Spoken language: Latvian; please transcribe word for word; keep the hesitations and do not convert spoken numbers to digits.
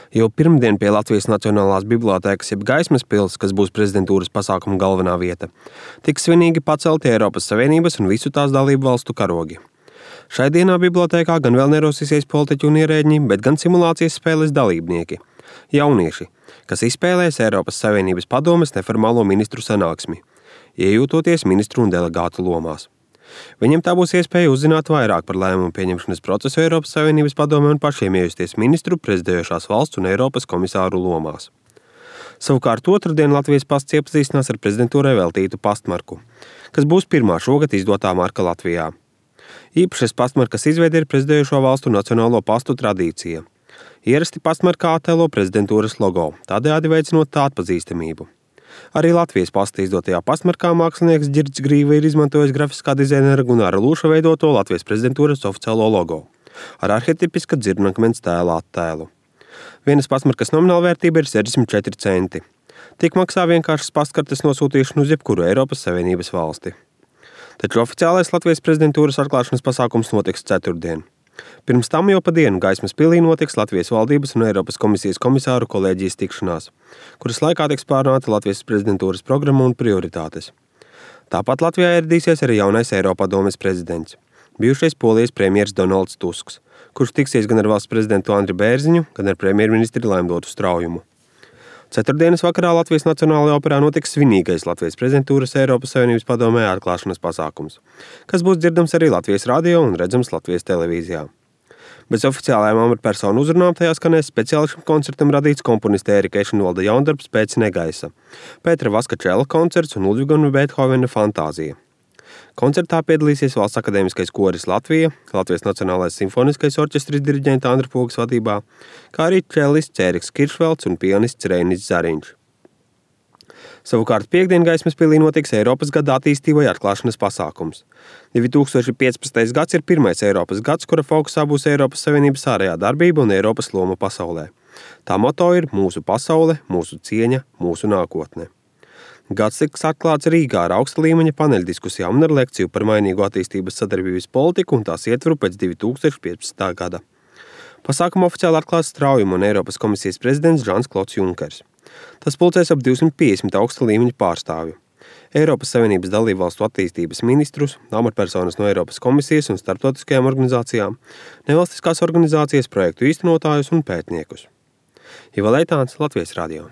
Jau pirmdien pie Latvijas Nacionālās bibliotēkas jeb Gaismas pils, kas būs prezidentūras pasākuma galvenā vieta, tiks svinīgi pacelti Eiropas Savienības un visu tās dalību valstu karogi. Šai dienā bibliotēkā gan vēl nerosīsies politiķi un ierēģi, bet gan simulācijas spēles dalībnieki – jaunieši, kas izspēlēs Eiropas Savienības padomes neformālo ministru sanāksmi, iejūtoties ministru un delegātu lomās. Viņiem tā būs iespēja uzzināt vairāk par lēmumu pieņemšanas procesu Eiropas Savienības padomē un pašiem iejusties ministru, prezidējošās valsts un Eiropas komisāru lomās. Savukārt otrdien Latvijas pasts iepazīstinās ar prezidentūrai veltītu pastmarku, kas būs pirmā šogad izdotā marka Latvijā. Īpašais pastmarkas izveide ir prezidējošo valstu nacionālo pastu tradīcija. Ierasti pastmarkā attēlo prezidentūras logo, tādējādi veicinot tā atpazīstamību. Arī Latvijas pasta izdotajā pastmarkā mākslinieks Ģirds Grīva ir izmantojis grafiskā dizainera Gunāra Lūša veidoto Latvijas prezidentūras oficiālo logo ar arhetipiska dzirnakmens tēla attēlu. Vienas pastmarkas nomināla vērtība ir sešdesmit četri centi. Tik maksā vienkāršas pastkartes nosūtīšanu uz jebkuru Eiropas Savienības valsti. Taču oficiālais Latvijas prezidentūras atklāšanas pasākums notiks ceturtdien. Pirms tam jau pa dienu Gaismas pilī notiks Latvijas valdības un Eiropas komisijas komisāru kolēģijas tikšanās, kuras laikā tiks pārunāta Latvijas prezidentūras programma un prioritātes. Tāpat Latvijā ieradīsies arī jaunais Eiropadomes prezidents, bijušais Polijas premjers Donalds Tusks, kurš tiksies gan ar valsts prezidentu Andri Bērziņu, gan ar premjerministri Laimdotu Straujumu. Ceturtdienas vakarā Latvijas Nacionālajā operā notiks svinīgais Latvijas prezidentūras Eiropas Savienības padomē atklāšanas pasākums, kas būs dzirdams arī Latvijas radio un redzams Latvijas televīzijā. Bez oficiālajām amatpersonu uzrunām tajā skanēs speciāli šim koncertam radīts komponista Ērika Ešenvalda jaundarbs Pēc negaisa, Pētera Vaskačela koncerts un Ludviga un Beethovena fantāzija. Koncertā piedalīsies Valsts akadēmiskais koris Latvija, Latvijas Nacionālais simfoniskais orķestris diriģenta Andra Pogas vadībā, kā arī čelists Ēriks Kiršvelts un pianists Reinis Zariņš. Savukārt piekdien Gaismas pilī notiks Eiropas gada attīstībai atklāšanas pasākums. divi tūkstoši piecpadsmitais gads ir pirmais Eiropas gads, kura fokusā būs Eiropas Savienības ārējā darbība un Eiropas loma pasaulē. Tā moto ir mūsu pasaule, mūsu cieņa, mūsu nākotne. Gads tiks atklāts Rīgā ar augsta līmeņa paneļdiskusijām un ar lekciju par mainīgo attīstības sadarbības politiku un tās ietvaru pēc divi tūkstoši piecpadsmitā gada. Pasākumu oficiāli atklās Straujumu un Eiropas komisijas prezidents Žans Klods Junkers. Tas pulcēs ap divsimt piecdesmit augsta līmeņa pārstāvju. Eiropas Savienības dalībvalstu attīstības ministrus, amatpersonas no Eiropas komisijas un starptautiskajām organizācijām, nevalstiskās organizācijas, projektu īstenotājus un pētniekus. Iva Leitāns, Latvijas radio.